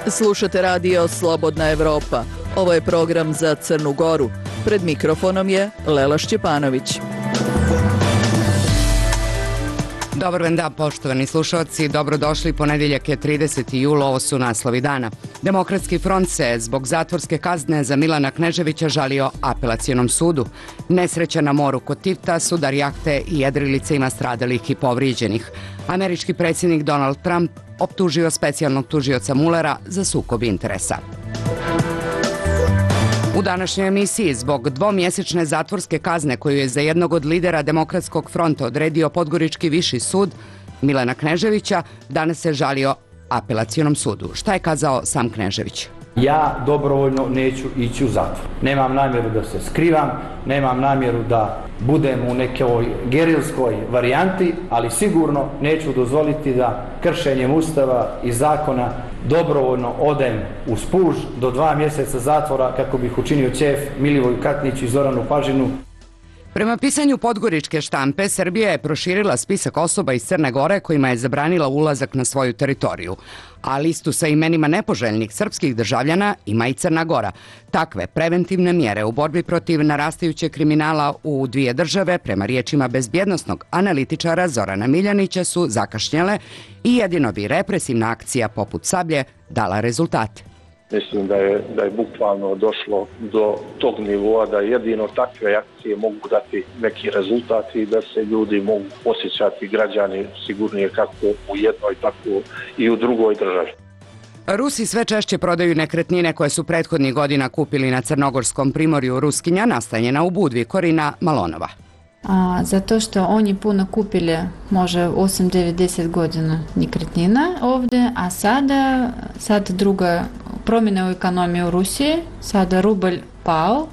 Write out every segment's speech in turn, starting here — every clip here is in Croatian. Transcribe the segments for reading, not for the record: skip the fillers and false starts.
Slušate radio Slobodna Evropa. Ovo je program za Crnu Goru. Pred mikrofonom je Lela Šćepanović. Dobar vam dan, poštovani slušalci. Dobrodošli, ponedjeljak je 30. jul, ovo su naslovi dana. Demokratski front se zbog zatvorske kazne za Milana Kneževića žalio apelacionom sudu. Nesreća na moru kod Tivta, sudar jahte i jedrilice ima stradalih i povrijeđenih. Američki predsjednik Donald Trump optužio specijalnog tužioca Mullera za sukob interesa. U današnjoj emisiji zbog dvomjesečne zatvorske kazne koju je za jednog od lidera Demokratskog fronta odredio Podgorički viši sud, Milana Kneževića, danas se žalio apelacionom sudu. Šta je kazao sam Knežević? Ja dobrovoljno neću ići u zatvor. Nemam namjeru da se skrivam, nemam namjeru da budem u nekoj gerilskoj varijanti, ali sigurno neću dozvoliti da kršenjem Ustava i zakona dobrovoljno odem u spuž do 2 mjeseca zatvora kako bih učinio ćef Milivoju Katniću i Zoranu Pažinu. Prema pisanju Podgoričke štampe, Srbija je proširila spisak osoba iz Crne Gore kojima je zabranila ulazak na svoju teritoriju. A listu sa imenima nepoželjnih srpskih državljana ima i Crna Gora. Takve preventivne mjere u borbi protiv narastajućeg kriminala u dvije države, prema riječima bezbjednosnog analitičara Zorana Miljanića, su zakašnjele i jedino bi represivna akcija poput Sablje dala rezultate. Mislim da je bukvalno došlo do tog nivoa da jedino takve akcije mogu dati neki rezultat i da se ljudi mogu osjećati, građani, sigurnije kako u jednoj, tako i u drugoj državi. Rusi sve češće prodaju nekretnine koje su prethodnih godina kupili na crnogorskom primorju Ruskinja, nastanjena u Budvi. Korina Malonova. Zato što oni puno kupili, može 8, 9, 10 godina nekretnina ovdje, a sada druga promjena u ekonomiji u Rusiji, sada rublj pao,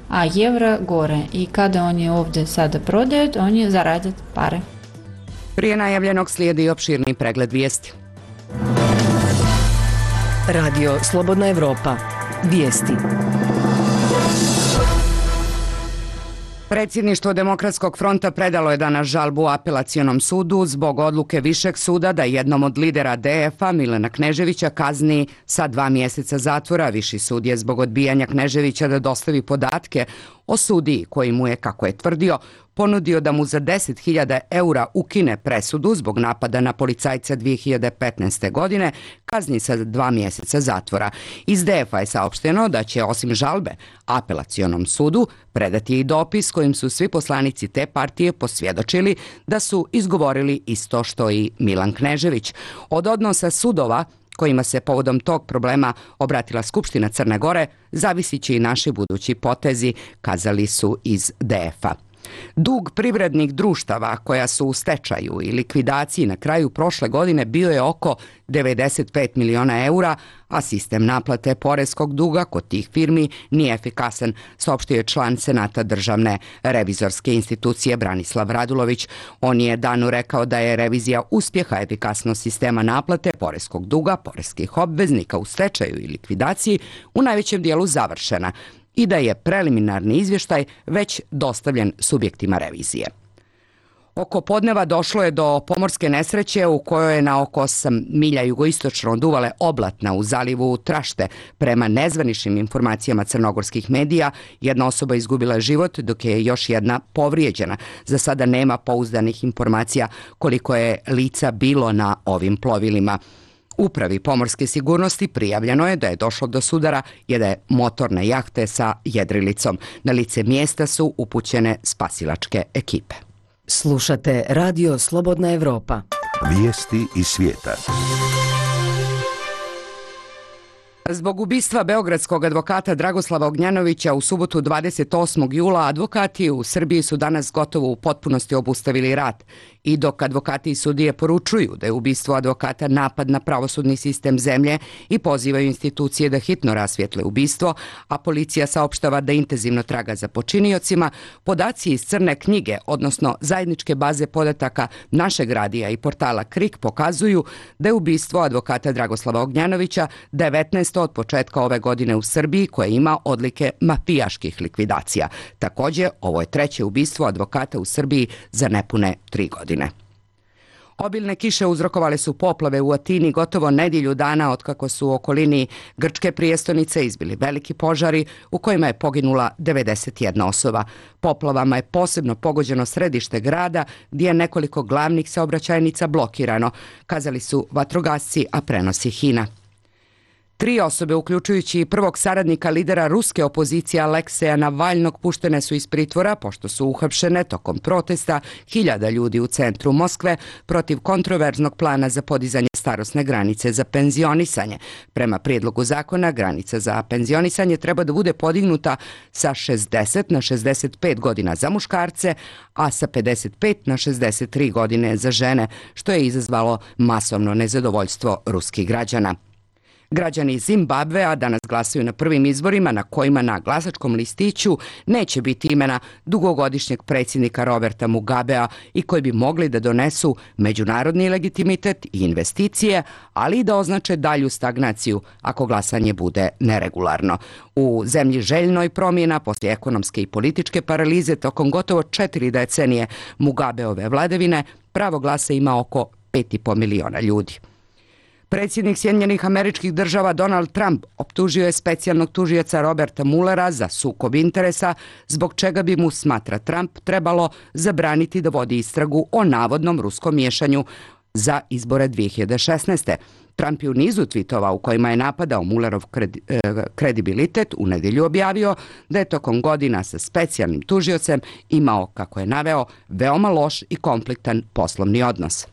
a euro gore. I kada oni ovdje sada prodaju, oni zarade pare. Prije najavljenog slijedi opširni pregled vijesti. Radio Slobodna Evropa. Vijesti. Predsjedništvo Demokratskog fronta predalo je danas žalbu apelacionom sudu zbog odluke Višeg suda da jednom od lidera DF-a, Milana Kneževića, kazni sa 2 mjeseca zatvora. Viši sud je zbog odbijanja Kneževića da dostavi podatke o sudiji koji mu je, kako je tvrdio, ponudio da mu za 10.000 eura ukine presudu zbog napada na policajca 2015. godine, kazni sa 2 mjeseca zatvora. Iz DF-a je saopšteno da će osim žalbe apelacionom sudu predati i dopis kojim su svi poslanici te partije posvjedočili da su izgovorili isto što i Milan Knežević. Od odnosa sudova kojima se povodom tog problema obratila Skupština Crne Gore, zavisit će i naši budući potezi, kazali su iz DF-a. Dug privrednih društava koja su u stečaju i likvidaciji na kraju prošle godine bio je oko 95 miliona eura, a sistem naplate poreskog duga kod tih firmi nije efikasan, saopštio je član Senata Državne revizorske institucije Branislav Radulović. On je danu rekao da je revizija uspjeha efikasnost sistema naplate poreskog duga poreskih obveznika u stečaju i likvidaciji u najvećem dijelu završena i da je preliminarni izvještaj već dostavljen subjektima revizije. Oko podneva došlo je do pomorske nesreće u kojoj je na oko 8 milja jugoistočno od uvale Oblatna u zalivu Trašte. Prema nezvaničnim informacijama crnogorskih medija, jedna osoba izgubila život dok je još jedna povrijeđena. Za sada nema pouzdanih informacija koliko je lica bilo na ovim plovilima. Upravi pomorske sigurnosti prijavljeno je da je došlo do sudara jedne motorne jahte sa jedrilicom. Na lice mjesta su upućene spasilačke ekipe. Slušate radio Slobodna Evropa. Vijesti iz svijeta. Zbog ubistva beogradskog advokata Dragoslava Ognjanovića u subotu 28. jula advokati u Srbiji su danas gotovo u potpunosti obustavili rad. I dok advokati i sudije poručuju da je ubistvo advokata napad na pravosudni sistem zemlje i pozivaju institucije da hitno rasvijetle ubistvo, a policija saopštava da intenzivno traga za počiniocima, podaci iz crne knjige, odnosno zajedničke baze podataka našeg radija i portala KRIK pokazuju da je ubistvo advokata Dragoslava Ognjanovića 19. od početka ove godine u Srbiji koje ima odlike mafijaških likvidacija. Također, ovo je treće ubistvo advokata u Srbiji za nepune 3 godine. Obilne kiše uzrokovale su poplave u Atini gotovo nedjelju dana otkako su u okolini grčke prijestolnice izbili veliki požari u kojima je poginula 91 osoba. Poplavama je posebno pogođeno središte grada gdje je nekoliko glavnih saobraćajnica blokirano, kazali su vatrogasci, a prenosi HINA. 3 osobe, uključujući prvog saradnika lidera ruske opozicije Alekseja Navalnog, puštene su iz pritvora pošto su uhapšene tokom protesta hiljada ljudi u centru Moskve protiv kontroverznog plana za podizanje starosne granice za penzionisanje. Prema prijedlogu zakona, granica za penzionisanje treba da bude podignuta sa 60 na 65 godina za muškarce, a sa 55 na 63 godine za žene, što je izazvalo masovno nezadovoljstvo ruskih građana. Građani Zimbabvea danas glasaju na prvim izborima na kojima na glasačkom listiću neće biti imena dugogodišnjeg predsjednika Roberta Mugabea i koji bi mogli da donesu međunarodni legitimitet i investicije, ali i da označe dalju stagnaciju ako glasanje bude neregularno. U zemlji željnoj promjena poslije ekonomske i političke paralize tokom gotovo 4 decenije Mugabeove vladavine, pravo glasa ima oko 5,5 miliona ljudi. Predsjednik Sjedinjenih Američkih Država Donald Trump optužio je specijalnog tužioca Roberta Muellera za sukob interesa, zbog čega bi mu, smatra Trump, trebalo zabraniti da vodi istragu o navodnom ruskom miješanju za izbore 2016. Trump je u nizu tvitova u kojima je napadao Muellerov kredibilitet u nedjelju objavio da je tokom godina sa specijalnim tužiocem imao, kako je naveo, veoma loš i konfliktan poslovni odnos.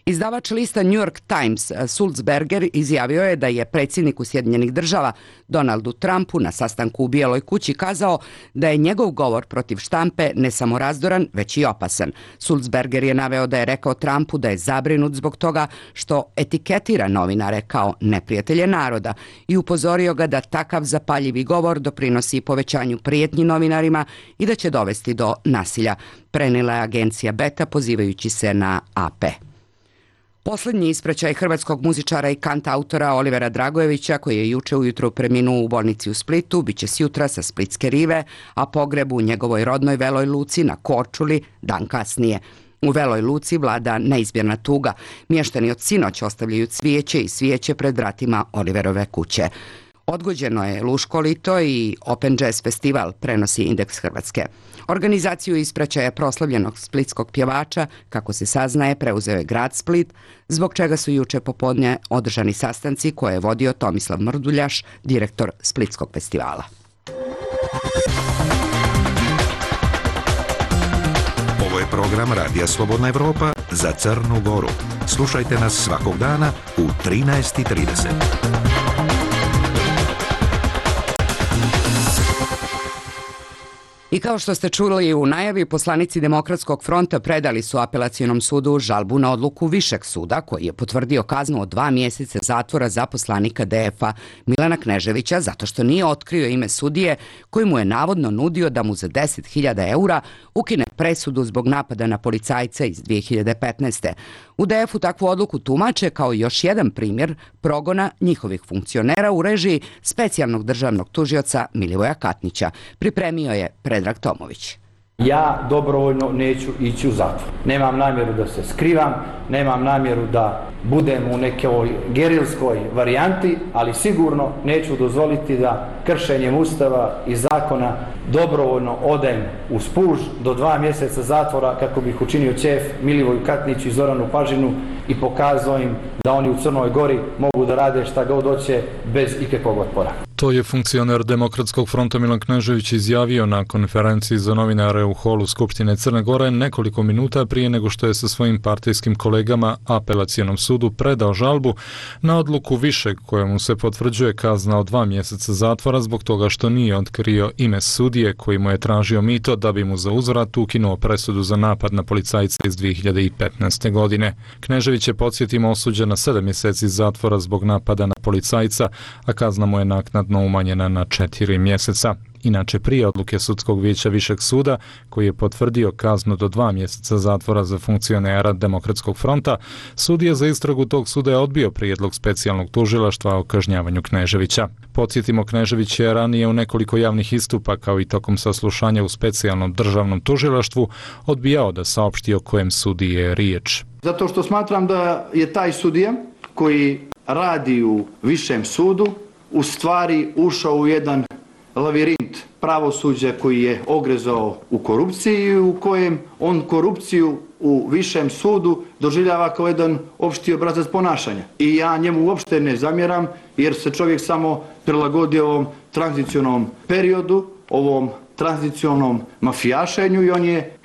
Izdavač lista New York Times Sulzberger izjavio je da je predsjedniku Sjedinjenih Država Donaldu Trumpu na sastanku u Bijeloj kući kazao da je njegov govor protiv štampe ne samo razdoran, već i opasan. Sulzberger je naveo da je rekao Trumpu da je zabrinut zbog toga što etiketira novinare kao neprijatelje naroda i upozorio ga da takav zapaljivi govor doprinosi povećanju prijetnji novinarima i da će dovesti do nasilja, prenijela je agencija Beta pozivajući se na AP. Posljednji ispraćaj hrvatskog muzičara i kantautora Olivera Dragojevića, koji je juče ujutro preminuo u bolnici u Splitu, bit će sjutra sa Splitske rive, a pogreb u njegovoj rodnoj Veloj Luci na Korčuli dan kasnije. U Veloj Luci vlada neizmjerna tuga. Mještani od sinoć ostavljaju cvijeće i svijeće pred vratima Oliverove kuće. Odgođeno je Luško lito i Open Jazz festival, prenosi Indeks Hrvatske. Organizaciju ispraćaja proslavljenog splitskog pjevača, kako se saznaje, preuzeo je grad Split, zbog čega su juče popodne održani sastanci koje je vodio Tomislav Mrduljaš, direktor Splitskog festivala. Ovo je program Radija Slobodna Evropa za Crnu Goru. Slušajte nas svakog dana u 13:30. I kao što ste čuli u najavi, poslanici Demokratskog fronta predali su apelacionom sudu žalbu na odluku Višeg suda koji je potvrdio kaznu od 2 mjeseca zatvora za poslanika DF-a Milana Kneževića zato što nije otkrio ime sudije koji mu je navodno nudio da mu za 10.000 eura ukine presudu zbog napada na policajca iz 2015. U DF-u takvu odluku tumače kao još jedan primjer progona njihovih funkcionera u režiji specijalnog državnog tužioca Milivoja Katnića. Pripremio je Predrag Tomović. Ja dobrovoljno neću ići u zatvor. Nemam namjeru da se skrivam, nemam namjeru da budem u nekoj gerilskoj varijanti, ali sigurno neću dozvoliti da kršenjem Ustava i zakona dobrovoljno odem u spuž do 2 mjeseca zatvora kako bih učinio ćef Milivoju Katniću i Zoranu Pažinu i pokazao im da oni u Crnoj Gori mogu da rade šta god hoće bez ikakvog otpora. To je funkcioner Demokratskog fronta Milan Knežević izjavio na konferenciji za novinare u holu Skupštine Crne Gore nekoliko minuta prije nego što je sa svojim partijskim kolegama apelacionom sudu predao žalbu na odluku Višeg kojemu se potvrđuje kazna od 2 mjeseca zatvora zbog toga što nije otkrio ime sudije koji mu je tražio mito da bi mu za uzvrat ukinuo presudu za napad na policajca iz 2015. godine. Knežević je, podsjetimo, osuđen na 7 mjeseci zatvora zbog napada na policajca, a kazna mu je naknadno umanjena na 4 mjeseca. Inače, prije odluke Sudskog vijeća Višeg suda, koji je potvrdio kaznu do 2 mjeseca zatvora za funkcionera Demokratskog fronta, sudija za istragu tog suda je odbio prijedlog specijalnog tužilaštva o kažnjavanju Kneževića. Podsjetimo, Knežević je ranije u nekoliko javnih istupa, kao i tokom saslušanja u specijalnom državnom tužilaštvu, odbijao da saopšti o kojem sudiji je riječ. Zato što smatram da je taj sudija koji radi u Višem sudu u stvari ušao u jedan lavirint pravosuđa koji je ogrezao u korupciji i u kojem on korupciju u Višem sudu doživljava kao jedan opšti obrazac ponašanja. I ja njemu uopšte ne zamjeram jer se čovjek samo prilagodio ovom tranzicionom periodu, ovom tranzicionom mafijašenju i on je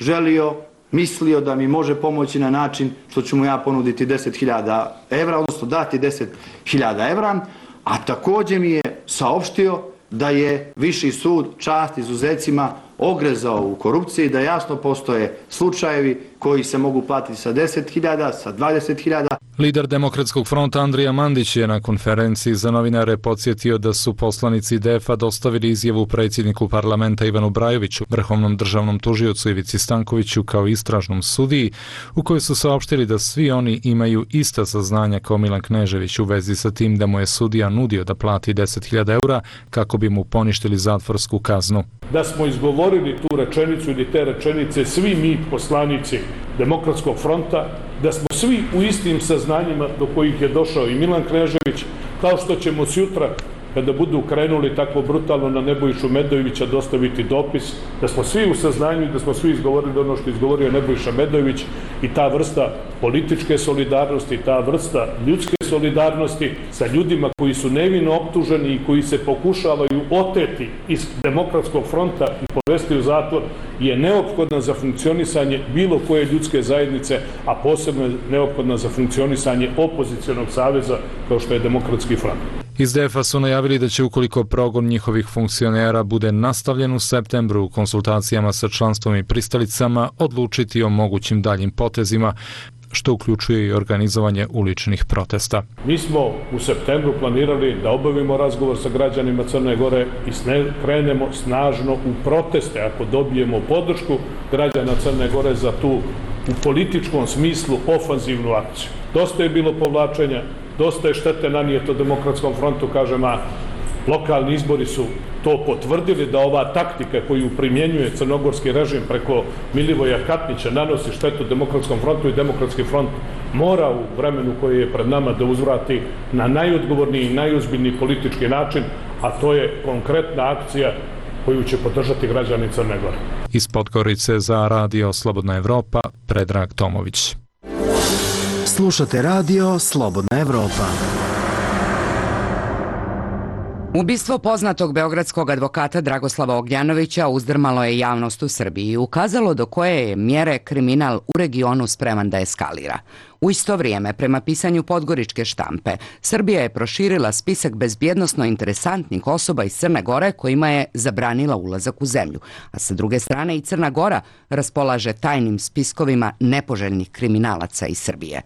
mislio da mi može pomoći na način što ću mu ja ponuditi 10.000 evra, odnosno dati 10.000 evra, a također mi je saopštio da je Viši sud, čast izuzecima, ogrezao u korupciji, da jasno postoje slučajevi koji se mogu platiti sa 10.000, sa 20.000. Lider Demokratskog fronta Andrija Mandić je na konferenciji za novinare podsjetio da su poslanici DF-a dostavili izjavu predsjedniku parlamenta Ivanu Brajoviću, vrhovnom državnom tužiocu Ivici Stankoviću kao istražnom sudiji, u kojoj su saopštili da svi oni imaju ista saznanja kao Milan Knežević u vezi sa tim da mu je sudija nudio da plati 10.000 eura kako bi mu poništili zatvorsku kaznu. Da smo izgovorili tu rečenicu ili te rečenice svi mi poslanici Demokratskog fronta, da smo svi u istim saznanjima do kojih je došao i Milan Knežević, kao što ćemo sutra, kada budu krenuli tako brutalno na Nebojšu Medojevića, dostaviti dopis, da smo svi u saznanju i da smo svi izgovorili ono što je izgovorio Nebojša Medojević i ta vrsta političke solidarnosti, ta vrsta ljudske solidarnosti sa ljudima koji su nevino optuženi i koji se pokušavaju oteti iz Demokratskog fronta i povesti u zatvor je neophodna za funkcionisanje bilo koje ljudske zajednice, a posebno je neophodna za funkcionisanje opozicionog saveza kao što je Demokratski front. Iz DF-a su najavili da će, ukoliko progon njihovih funkcionera bude nastavljen u septembru u konsultacijama sa članstvom i pristalicama, odlučiti o mogućim daljim potezima, što uključuje i organizovanje uličnih protesta. Mi smo u septembru planirali da obavimo razgovor sa građanima Crne Gore i krenemo snažno u proteste ako dobijemo podršku građana Crne Gore za tu u političkom smislu ofanzivnu akciju. Dosta je bilo povlačenja, dosta je štete nanijeto Demokratskom frontu, kažem, a lokalni izbori su to potvrdili da ova taktika koju primjenjuje crnogorski režim preko Milivoja Katnića nanosi štetu Demokratskom frontu i Demokratski front mora u vremenu koje je pred nama da uzvrati na najodgovorniji i najozbiljniji politički način, a to je konkretna akcija koju će podržati građani Crne Gore. Iz Podgorice za Radio Slobodna Evropa, Predrag Tomović. Slušate Radio Slobodna Evropa. Ubistvo poznatog beogradskog advokata Dragoslava Ognjanovića uzdrmalo je javnost u Srbiji i ukazalo do koje je mjere kriminal u regionu spreman da eskalira. U isto vrijeme, prema pisanju podgoričke štampe, Srbija je proširila spisak bezbjednosno interesantnih osoba iz Crne Gore kojima je zabranila ulazak u zemlju, a sa druge strane i Crna Gora raspolaže tajnim spiskovima nepoželjnih kriminalaca iz Srbije.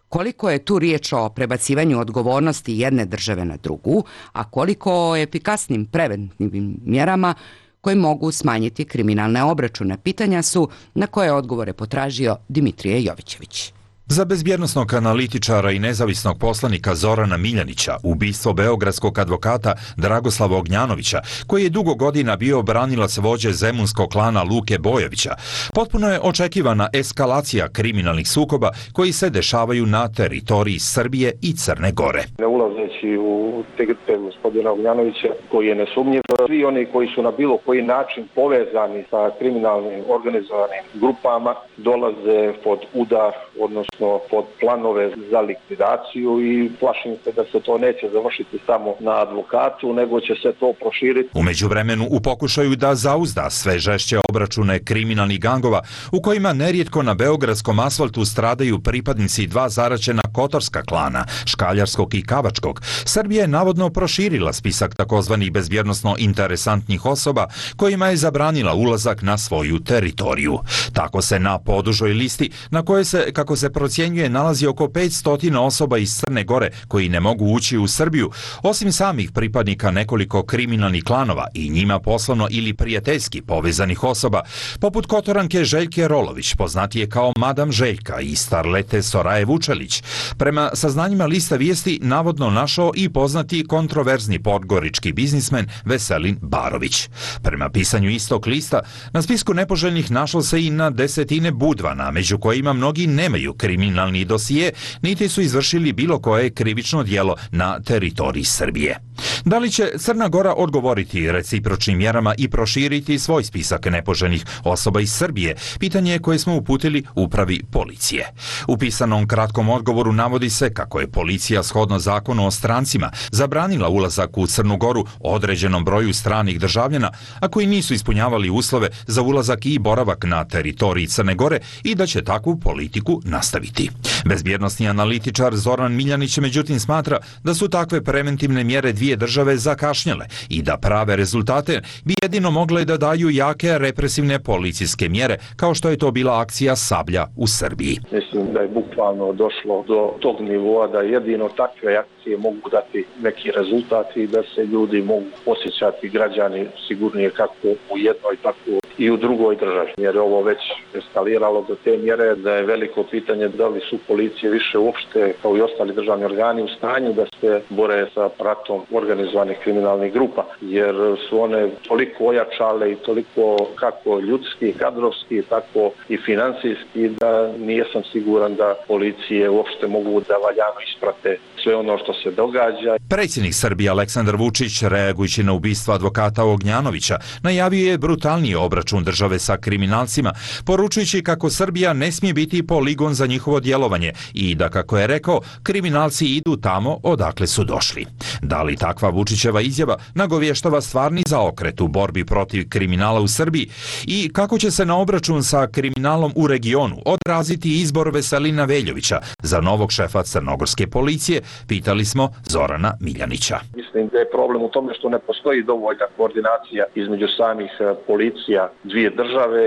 Koliko je tu riječ o prebacivanju odgovornosti jedne države na drugu, a koliko o efikasnim preventivnim mjerama koje mogu smanjiti kriminalne obračune, pitanja su na koje odgovore potražio Dimitrije Jovićević. Za bezbjednosnog analitičara i nezavisnog poslanika Zorana Miljanića, ubistvo beogradskog advokata Dragoslava Ognjanovića, koji je dugo godina bio branilac vođe zemunskog klana Luke Bojovića, potpuno je očekivana eskalacija kriminalnih sukoba koji se dešavaju na teritoriji Srbije i Crne Gore. Ne ulazeći u integritet gospodina Ognjanovića, koji je nesumnjiv, svi oni koji su na bilo koji način povezani sa kriminalnim organizovanim grupama dolaze pod udar, odnosno pod planove za likvidaciju i plašim se da se to neće završiti samo na advokatu, nego će se to proširiti. U međuvremenu, u pokušaju da zauzda sve žešće obračune kriminalnih gangova, u kojima nerijetko na beogradskom asfaltu stradaju pripadnici dva zaraćena Kotorska klana, Škaljarskog i Kavačkog, Srbija je navodno proširila spisak takozvanih bezbjednosno interesantnih osoba kojima je zabranila ulazak na svoju teritoriju. Tako se na podužoj listi, na kojoj se, kako se procjenjuje, nalazi oko 500 osoba iz Crne Gore koji ne mogu ući u Srbiju, osim samih pripadnika nekoliko kriminalnih klanova i njima poslovno ili prijateljski povezanih osoba, poput Kotoranke Željke Rolović, poznatije kao Madam Željka, i starlete Soraje Vučelić. Prema saznanjima lista vijesti navodno našao i poznati kontroverzni podgorički biznismen Veselin Barović. Prema pisanju istog lista, na spisku nepoželjnih našlo se i na desetine budvana, među kojima mnogi nemaju kriminalni dosije, niti su izvršili bilo koje krivično djelo na teritoriji Srbije. Da li će Crna Gora odgovoriti recipročnim mjerama i proširiti svoj spisak nepoželjnih osoba iz Srbije? Pitanje je koje smo uputili upravi policije. U pisanom kratkom odgovoru navodi se kako je policija shodno zakonu o strancima zabranila ulazak u Crnu Goru određenom broju stranih državljana, a koji nisu ispunjavali uslove za ulazak i boravak na teritoriji Crne Gore i da će takvu politiku nastaviti. Bezbjednosni analitičar Zoran Miljanić međutim smatra da su takve preventivne mjere dvije države zakašnjele i da prave rezultate bi jedino mogle da daju jake represivne policijske mjere, kao što je to bila akcija Sablja u Srbiji. Mislim da je bukvalno došlo do tog nivoa da jedino takve akcije mogu dati neki rezultat i da se ljudi mogu osjećati, građani, sigurnije kako u jednoj, tako i u drugoj državi. Jer je ovo već eskaliralo do te mjere da je veliko pitanje da li su policije više uopšte, kao i ostali državni organi, u stanju da se bore sa pratom organizovanih kriminalnih grupa. Jer su one toliko ojačale i toliko kako ljudski, kadrovski, tako i finansijski, da nijesam siguran da policije uopšte mogu da valjano isprate sve ono što se događa. Predsjednik Srbije Aleksandar Vučić, reagujući na ubistvo advokata Ognjanovića, najavio je brutalniji obračun države sa kriminalcima, poručujući kako Srbija ne smije biti poligon za njihovo djelovanje i da, kako je rekao, kriminalci idu tamo odakle su došli. Da li takva Vučićeva izjava nagovještava stvarni zaokret u borbi protiv kriminala u Srbiji i kako će se na obračun sa kriminalom u regionu odraziti izbor Veselina Veljovića za novog šefa crnogorske policije, pitali smo Zorana Miljanića. Mislim da je problem u tome što ne postoji dovoljna koordinacija između samih policija dvije države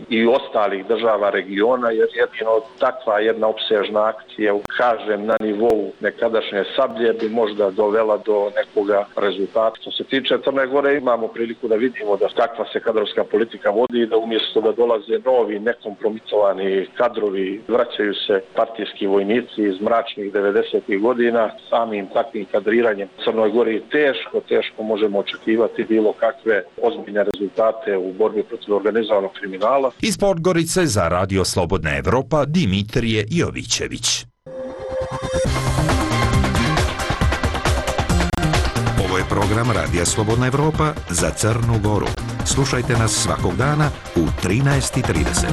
i ostalih država regiona, jer jedino takva jedna opsežna akcija, kažem, na nivou nekadašnje Sablje bi možda dovela do nekoga rezultata. Što se tiče Crne Gore, imamo priliku da vidimo da kakva se kadrovska politika vodi i da umjesto da dolaze novi nekompromitovani kadrovi, vraćaju se partijski vojnici iz mračnih 90. godina. Samim takvim kadriranjem Crnoj Gori teško možemo očekivati bilo kakve ozbiljne rezultate u borbi protiv organizovanog kriminala. Iz Podgorice za Radio Slobodna Evropa Dimitrije Jovićević. Ovo je program Radija Slobodna Evropa za Crnu Goru. Slušajte nas svakog dana u 13:30.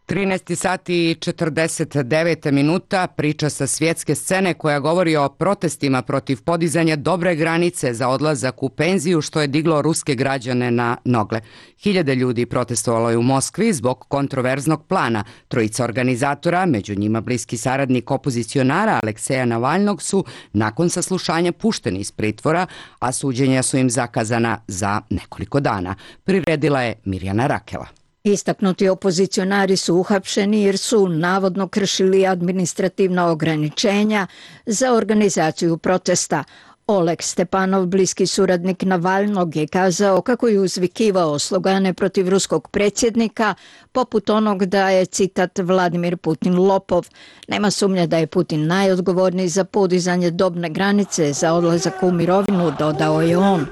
13 sati i 49 minuta, priča sa svjetske scene koja govori o protestima protiv podizanja dobre granice za odlazak u penziju, što je diglo ruske građane na nogle. Hiljade ljudi protestovalo je u Moskvi zbog kontroverznog plana. Trojica organizatora, među njima bliski saradnik opozicionara Alekseja Navalnog, su nakon saslušanja pušteni iz pritvora, a suđenja su im zakazana za nekoliko dana. Priredila je Mirjana Rakela. Istaknuti opozicionari su uhapšeni jer su navodno kršili administrativna ograničenja za organizaciju protesta. Oleg Stepanov, bliski suradnik Navalnog, je kazao kako je uzvikivao slogane protiv ruskog predsjednika, poput onog da je, citat, Vladimir Putin lopov. Nema sumnje da je Putin najodgovorniji za podizanje dobne granice za odlazak u mirovinu, dodao je on.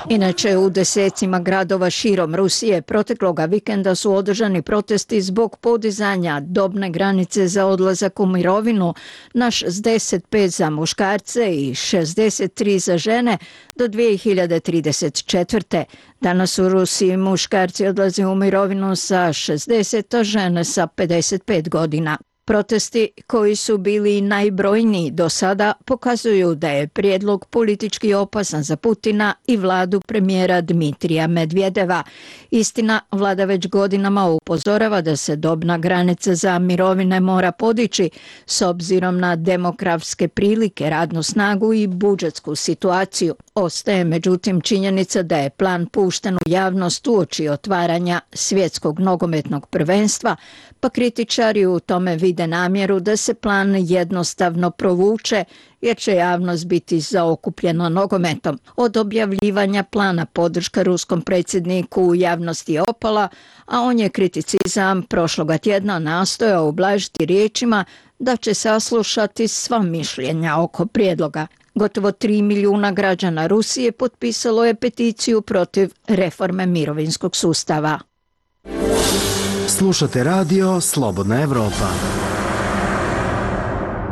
Inače, u desecima gradova širom Rusije protekloga vikenda su održani protesti zbog podizanja dobne granice za odlazak u mirovinu na 65 za muškarce i 63 za žene do 2034. Danas u Rusiji muškarci odlaze u mirovinu sa 60, a žene sa 55 godina. Protesti koji su bili najbrojniji do sada pokazuju da je prijedlog politički opasan za Putina i vladu premijera Dmitrija Medvedeva. Istina, vlada već godinama upozorava da se dobna granica za mirovine mora podići s obzirom na demografske prilike, radnu snagu i budžetsku situaciju. Ostaje međutim činjenica da je plan pušten u javnost uoči otvaranja svjetskog nogometnog prvenstva, pa kritičari u tome vide namjeru da se plan jednostavno provuče jer će javnost biti zaokupljena nogometom. Od objavljivanja plana podrška ruskom predsjedniku u javnosti je opala, a on je kriticizam prošloga tjedna nastojao ublažiti riječima da će saslušati sva mišljenja oko prijedloga. Gotovo 3 milijuna građana Rusije potpisalo je peticiju protiv reforme mirovinskog sustava. Slušate radio Slobodna Evropa.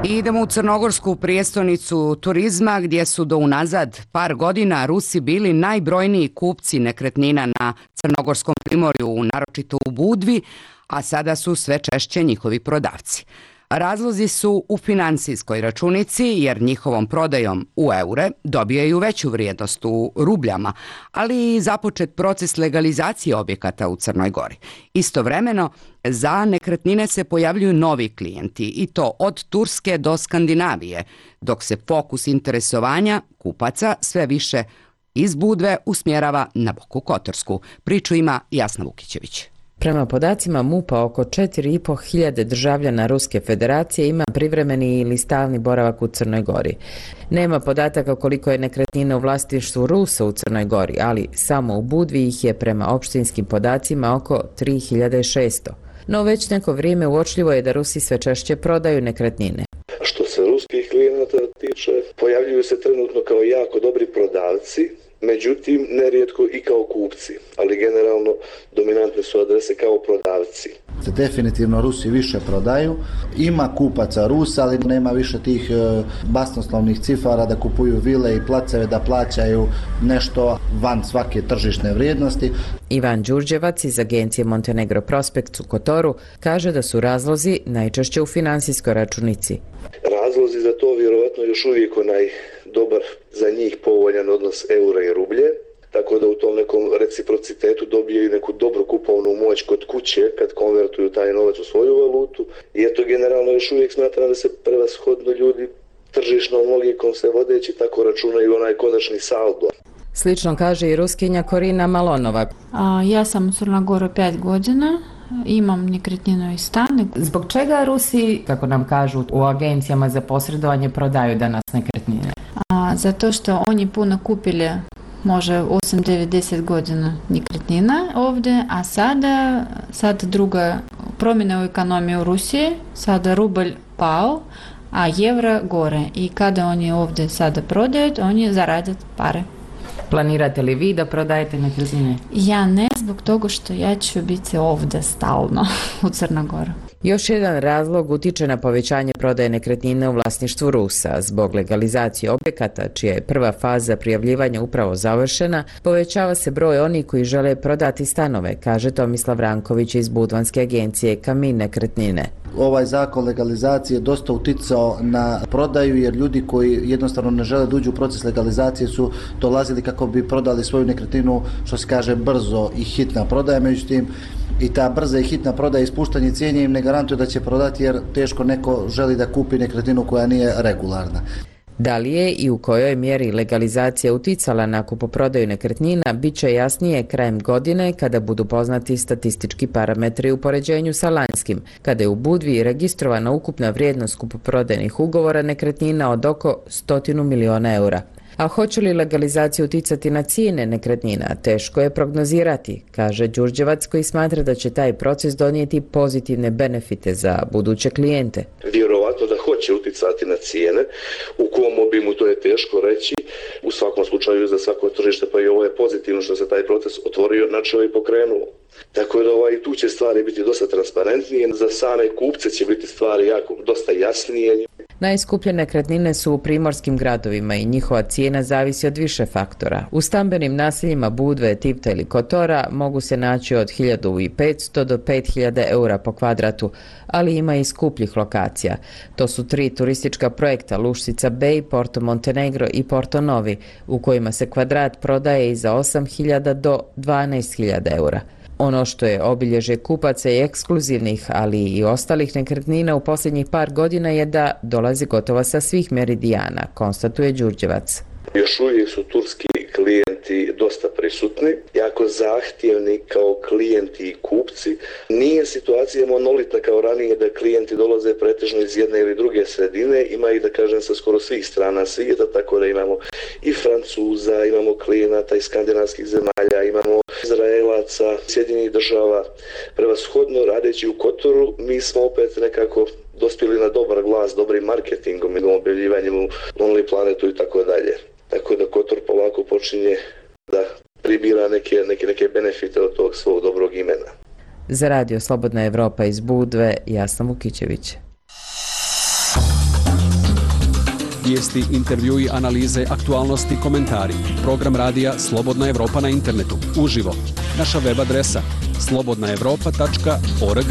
Idemo u crnogorsku prijestolnicu turizma gdje su do unazad par godina Rusi bili najbrojniji kupci nekretnina na crnogorskom primorju, naročito u Budvi, a sada su sve češće njihovi prodavci. Razlozi su u financijskoj računici jer njihovom prodajom u eure dobijaju veću vrijednost u rubljama, ali i započet proces legalizacije objekata u Crnoj Gori. Istovremeno, za nekretnine se pojavljuju novi klijenti i to od Turske do Skandinavije, dok se fokus interesovanja kupaca sve više iz Budve usmjerava na Boku Kotorsku. Priču ima Jasna Vukićević. Prema podacima MUP-a, oko 4.500 državljana Ruske federacije ima privremeni ili stalni boravak u Crnoj Gori. Nema podataka koliko je nekretnina u vlasništvu Rusa u Crnoj Gori, ali samo u Budvi ih je prema opštinskim podacima oko 3.600. No već neko vrijeme uočljivo je da Rusi sve češće prodaju nekretnine. Što se ruskih klijenata tiče, pojavljuju se trenutno kao jako dobri prodavci, međutim nerijetko i kao kupci, ali generalno dominantne su adrese kao prodavci. Definitivno Rusi više prodaju, ima kupaca Rusa, ali nema više tih basnoslovnih cifara da kupuju vile i placeve, da plaćaju nešto van svake tržišne vrijednosti. Ivan Đurđevac iz agencije Montenegro Prospekt u Kotoru kaže da su razlozi najčešće u finansijskoj računici. Razlozi za to vjerovatno još uvijek onaj dobar za njih povoljan odnos eura i rublje, tako da u tom nekom reciprocitetu dobijaju neku dobru kupovnu moć kod kuće kad konvertuju taj novac u svoju valutu. I eto, generalno još uvijek smatram da se prevashodno ljudi tržišnom logikom se vodeći tako računaju onaj konačni saldo. Slično kaže i Ruskinja Korina Malonova. Ja sam u Crnogoru 5 godina. Imam nekretninu i stan. Zbog čega Rusi, kako nam kažu u agencijama za posredovanje, prodaju danas nekretnine? Zato što oni puno kupili može 8, 9, 10 godina nekretnina ovdje, a sada druga promjena u ekonomiji u Rusiji, sada rubl pao, a euro gore. I kada oni ovdje sada prodaju, oni zarade pare. Planirate li vi da prodajete nekretnine? Ja ne, zbog toga što ja ću biti ovdje stalno u Crnogoru. Još jedan razlog utiče na povećanje prodaje nekretnine u vlasništvu Rusa. Zbog legalizacije objekata, čija je prva faza prijavljivanja upravo završena, povećava se broj onih koji žele prodati stanove, kaže Tomislav Ranković iz budvanske agencije Kamin nekretnine. Ovaj zakon legalizacije dosta uticao na prodaju jer ljudi koji jednostavno ne žele da uđu u proces legalizacije su dolazili kako bi prodali svoju nekretninu, što se kaže brzo i hitna prodaja, međutim i ta brza i hitna prodaja i ispuštanje cijene im ne garantuje da će prodati jer teško neko želi da kupi nekretninu koja nije regularna. Da li je i u kojoj mjeri legalizacija uticala na kupoprodaju nekretnina, bit će jasnije krajem godine kada budu poznati statistički parametri u poređenju sa lanjskim, kada je u Budvi registrovana ukupna vrijednost kupoprodajnih ugovora nekretnina od oko 100 miliona eura. A hoće li legalizacija uticati na cijene nekretnina, teško je prognozirati, kaže Đurđevac koji smatra da će taj proces donijeti pozitivne benefite za buduće klijente. Vjerovatno da hoće uticati na cijene, u kom obimu to je teško reći, u svakom slučaju za svako tržište, pa i ovo je pozitivno što se taj proces otvorio, načeo i pokrenuo. Tako da tu će stvari biti dosta transparentnije, za same kupce će biti stvari dosta jasnije. Najskuplje nekretnine su u primorskim gradovima i njihova cijena zavisi od više faktora. U stambenim naseljima Budve, Tivta ili Kotora mogu se naći od 1500 do 5000 eura po kvadratu, ali ima i skupljih lokacija. To su 3 turistička projekta Luštica Bay, Porto Montenegro i Porto Novi, u kojima se kvadrat prodaje i za 8000 do 12000 eura. Ono što je obilježje kupaca i ekskluzivnih, ali i ostalih nekretnina u posljednjih par godina je da dolazi gotovo sa svih meridijana, konstatuje Đurđevac. Još uvijek su turski klijenti dosta prisutni, jako zahtjevni kao klijenti i kupci. Nije situacija monolitna kao ranije da klijenti dolaze pretežno iz jedne ili druge sredine, ima ih da kažem sa skoro svih strana svijeta, tako da imamo i Francuza, imamo klijenata iz skandinavskih zemalja, imamo Izraelaca, Sjedinjenih država. Prevashodno radeći u Kotoru, mi smo opet nekako dospjeli na dobar glas, dobrim marketingom i objavljivanjem u Lonely Planetu i tako dalje. Tako da Kotor polako počinje da pribira neke benefite od tog svog dobrog imena. Za Radio Slobodna Evropa iz Budve, Jasna Vukićević. Vijesti, intervjui, analize, aktualnosti, komentari. Program radija Slobodna Evropa na internetu. Uživo. Naša web adresa slobodnaevropa.org.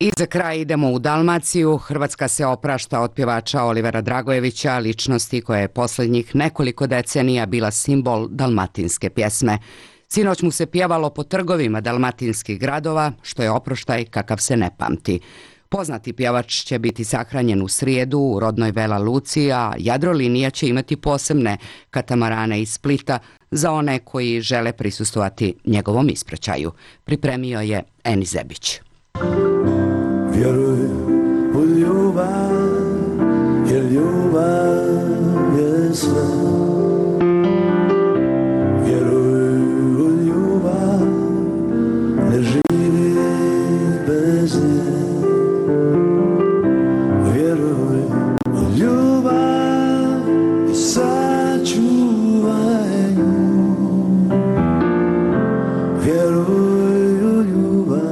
I za kraj idemo u Dalmaciju. Hrvatska se oprašta od pjevača Olivera Dragojevića, ličnosti koja je posljednjih nekoliko decenija bila simbol dalmatinske pjesme. Sinoć mu se pjevalo po trgovima dalmatinskih gradova, što je oproštaj kakav se ne pamti. Poznati pjevač će biti sahranjen u srijedu u rodnoj Vela Luci, a Jadrolinija će imati posebne katamarane iz Splita za one koji žele prisustvovati njegovom ispraćaju. Pripremio je Eni Zebić. Vjeruj u ljubav, jer ljubav je sve. Vjeruj u ljubav, ne živi bez nje. Vjeruj u ljubav i sačuvaj nju. Vjeruj u ljubav.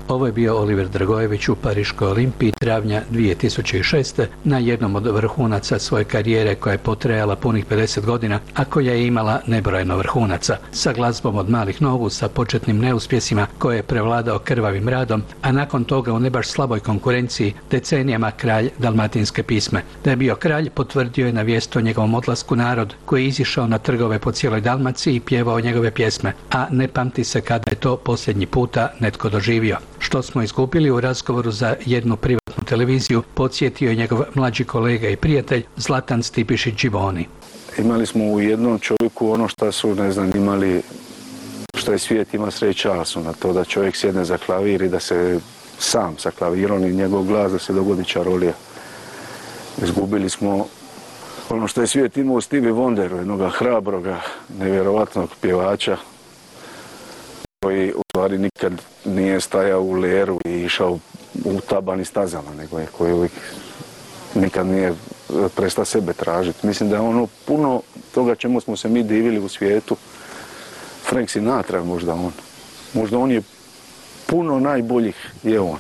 Ovo je bio Oliver Dragojević u Pariškoj Olimpiji travnja 2006. na jednom od vrhunaca svoje karijere koja je potrajala punih 50 godina, a koja je imala nebrojeno vrhunaca. Sa glazbom od malih nogu, sa početnim neuspjesima koje je prevladao krvavim radom, a nakon toga u ne baš slaboj konkurenciji decenijama kralj dalmatinske pisme. Da je bio kralj potvrdio je na vijest o njegovom odlasku narod koji je izišao na trgove po cijeloj Dalmaciji i pjevao njegove pjesme, a ne pamti se kada je to posljednji puta netko doživio. Što smo izgubili u razgovoru za jednu privatnu televiziju, podsjetio je njegov mlađi kolega i prijatelj Zlatan Stipišić-Đivoni. Imali smo u jednom čovjeku ono što su, imali, što je svijet ima sreća su na to da čovjek sjedne za klavir i da se sam sa klavirom i njegov glas da se dogodi čarolija. Izgubili smo ono što je svijet imao u Stevie Wonderu, jednoga hrabroga, nevjerovatnog pjevača koji u stvari nikad nije stajao u leru i išao u tabani stazama, nego je koji uvijek nikad nije prestao sebe tražiti. Mislim da je ono puno toga čemu smo se mi divili u svijetu. Frank Sinatra možda on je puno najboljih je on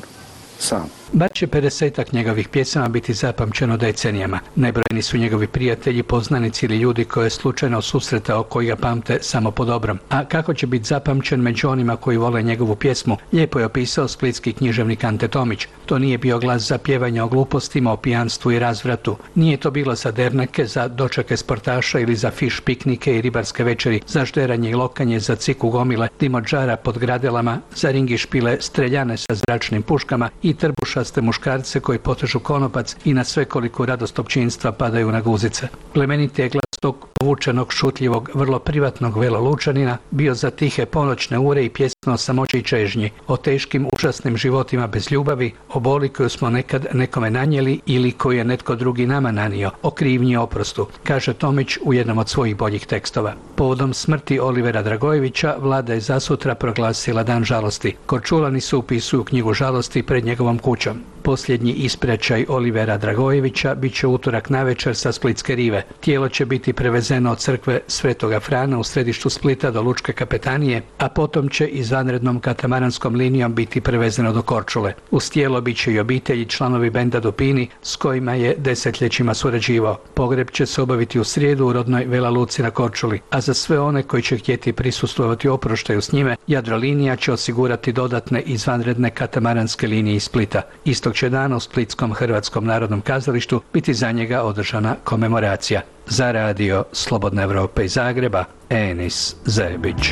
sam. Bar će 50-ak njegovih pjesama biti zapamćeno decenijama. Nebrojeni su njegovi prijatelji, poznanici ili ljudi koje je slučajno susretao koji ga pamte samo po dobrom. A kako će biti zapamćen među onima koji vole njegovu pjesmu, lijepo je opisao splitski književnik Ante Tomić. To nije bio glas za pjevanje o glupostima, o pijanstvu i razvratu. Nije to bilo za derneke, za dočake sportaša ili za fiš piknike i ribarske večeri, za žderanje i lokanje, za ciku gomile, dimodžara pod gradelama, za ringi špile, streljane sa zračnim puškama i trbušaste muškarce koji potežu konopac i na svekoliko radost općinstva padaju na guzice. Plemeniti je glas tog povučenog, šutljivog, vrlo privatnog Velolučanina bio za tihe ponoćne ure i pjesme o samoći i čežnji, o teškim, užasnim životima bez ljubavi, o boli koju smo nekad nekome nanijeli ili koju je netko drugi nama nanio, o krivnji i oprostu, kaže Tomić u jednom od svojih boljih tekstova. Povodom smrti Olivera Dragojevića vlada je zasutra proglasila dan žalosti. Korčulani se upisuju knjigu žalosti pred njegovom kućom. Posljednji ispraćaj Olivera Dragojevića bit će utorak navečer sa Splitske rive. Tijelo će biti prevezeno prevezeno od crkve Svetoga Frana u središtu Splita do Lučke kapetanije, a potom će izvanrednom katamaranskom linijom biti prevezeno do Korčule. Uz tijelo bit će i obitelji, članovi benda Dupini s kojima je desetljećima surađivao. Pogreb će se obaviti u srijedu u rodnoj Vela Luci na Korčuli, a za sve one koji će htjeti prisustvovati oproštaju s njime, Jadrolinija će osigurati dodatne izvanredne katamaranske linije iz Splita. Istog će dana u Splitskom Hrvatskom narodnom kazalištu biti za njega održana komemoracija. Za radio Slobodna Evropa iz Zagreba, Enis Zebić.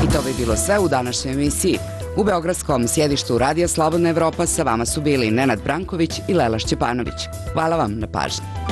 I to bi bilo sve u današnjoj emisiji. U beogradskom sjedištu Radija Slobodna Evropa sa vama su bili Nenad Branković i Lela Šćepanović. Hvala vam na pažnji.